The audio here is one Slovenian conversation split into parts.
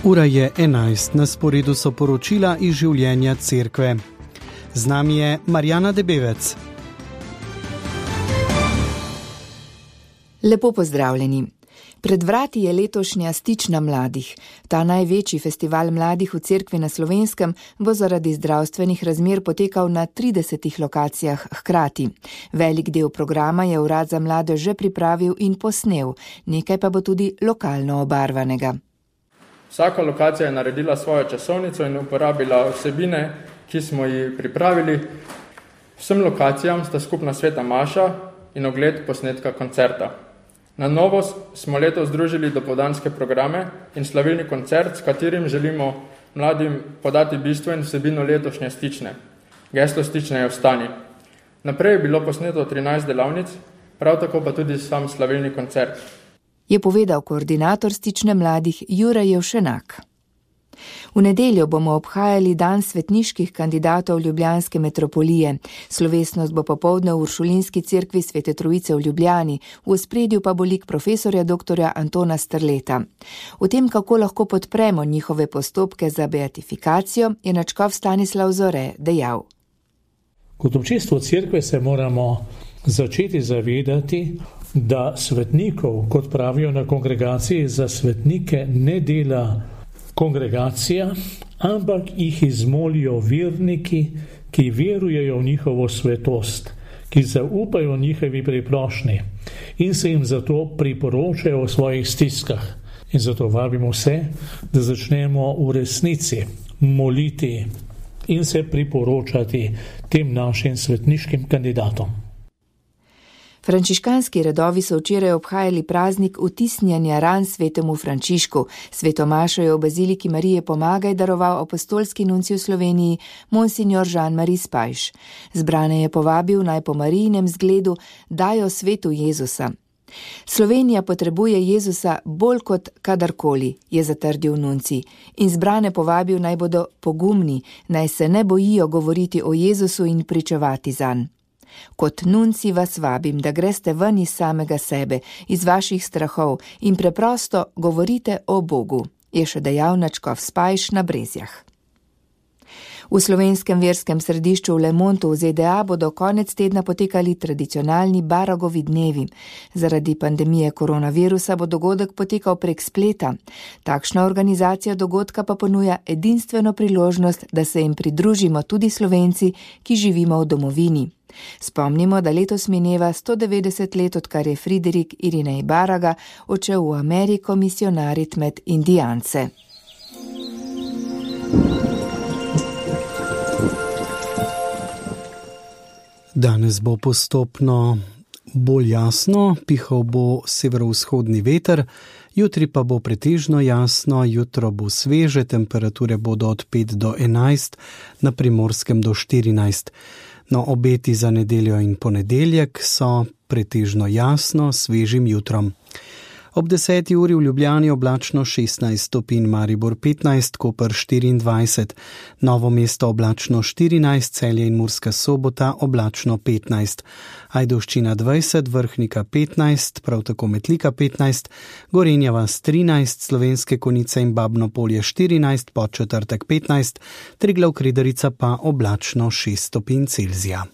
Ura je 11, na sporedu so poročila iz življenja cerkve. Z nami je Marjana Debevec. Lepo pozdravljeni. Pred vrati je letošnja Stična mladih. Ta največji festival mladih v cerkvi na Slovenskem bo zaradi zdravstvenih razmer potekal na 30 lokacijah hkrati. Velik del programa je Urad za mlade že pripravil in posnel, nekaj pa bo tudi lokalno obarvanega. Vsaka lokacija je naredila svojo časovnico in uporabila vsebine, ki smo jih pripravili. Vsem lokacijam sta skupna sveta maša in ogled posnetka koncerta. Na novo smo letos združili dopoldanske programe in slavilni koncert, s katerim želimo mladim podati bistvo in vsebino letošnje Stične. Geslo Stične je Vstani. Naprej je bilo posneto 13 delavnic, prav tako pa tudi sam slavilni koncert. Je povedal koordinator Stične mladih Jure Jevšenak. V nedeljo bomo obhajali dan svetniških kandidatov ljubljanske metropolije. Slovesnost bo popoldne v Uršulinski cerkvi Svete Trojice v Ljubljani, v ospredju pa bo lik profesorja dr. Antona Strleta. O tem, kako lahko podpremo njihove postopke za beatifikacijo, je nadškof Stanislav Zore dejal. Kot občestvo cerkve se moramo začeti zavedati, da svetnikov, kot pravijo na kongregaciji, za svetnike ne dela kongregacija, ampak jih izmolijo verniki, ki verujejo v njihovo svetost, ki zaupajo njihovi priprošnji in se jim zato priporočajo v svojih stiskah. In zato vabimo vse, da začnemo v resnici moliti in se priporočati tem našim svetniškim kandidatom. Frančiškanski redovi so včeraj obhajali praznik vtisnjanja ran svetemu Frančišku. Sveto mašo je v baziliki Marije Pomagaj daroval apostolski nuncij v Sloveniji monsignor Jean-Marie Spajš. Zbrane je povabil, naj po Marijinem zgledu dajo svetu Jezusa. Slovenija potrebuje Jezusa bolj kot kadarkoli, je zatrdil nuncij, in zbrane povabil, naj bodo pogumni, naj se ne bojijo govoriti o Jezusu in pričevati zanj. Kot nuncij vas vabim, da greste ven iz samega sebe, iz vaših strahov in preprosto govorite o Bogu, je še dejal nadškof Spajš na Brezjah. V slovenskem verskem središču v Le Montu v ZDA bodo konec tedna potekali tradicionalni Baragovi dnevi. Zaradi pandemije koronavirusa bo dogodek potekal prek spleta. Takšna organizacija dogodka pa ponuja edinstveno priložnost, da se jim pridružimo tudi Slovenci, ki živimo v domovini. Spomnimo, da letos mineva 190 let, odkar je Friderik Irinej Baraga odšel v Ameriko misionarit med Indijance. Danes bo postopno bolj jasno, pihal bo severovzhodni veter, jutri pa bo pretežno jasno, jutro bo sveže, temperature bodo od 5 do 11, na Primorskem do 14. No, obeti za nedeljo in ponedeljek so pretežno jasno, svežim jutrom. Ob 10. uri v Ljubljani oblačno 16 stopinj, Maribor 15, Koper 24, Novo mesto oblačno 14, Celje in Murska Sobota oblačno 15, Ajdovščina 20, Vrhnika 15, prav tako Metlika 15, Gorenja vas 13, Slovenske Konjice in Babno Polje 14, Podčetrtek 15, Triglav Kredarica pa oblačno 6 stopinj Celzija.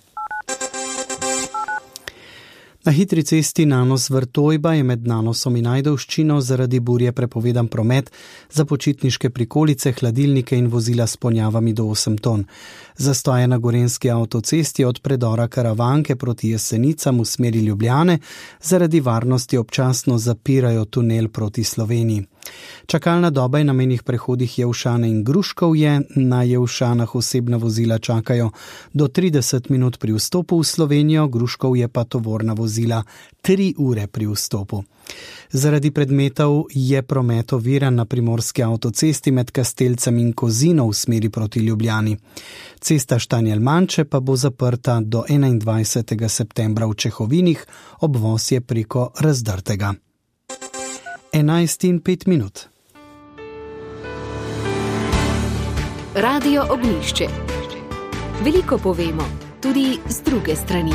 Na hitri cesti Nanos-Vrtojba je med Nanosom in Ajdovščino zaradi burje prepovedan promet za počitniške prikolice, hladilnike in vozila s ponjavami do 8 ton. Zastoje na Gorenjski avtocesti od predora Karavanke proti Jesenicam v smeri Ljubljane zaradi varnosti občasno zapirajo tunel proti Sloveniji. Čakalna doba je na mejnih prehodih Jelšane in Gruškovje. Na Jelšanah osebna vozila čakajo do 30 minut pri vstopu v Slovenijo, Gruškovje pa tovorna vozila 3 ure pri vstopu. Zaradi predmetov je promet oviran na primorski avtocesti med Kastelcem in Kozino v smeri proti Ljubljani. Cesta Štanjel-Manče pa bo zaprta do 21. septembra v Čehovinih, obvoz je preko Razdrtega. 11:05. Radio Ognjišče. Veliko povemo, tudi z druge strani.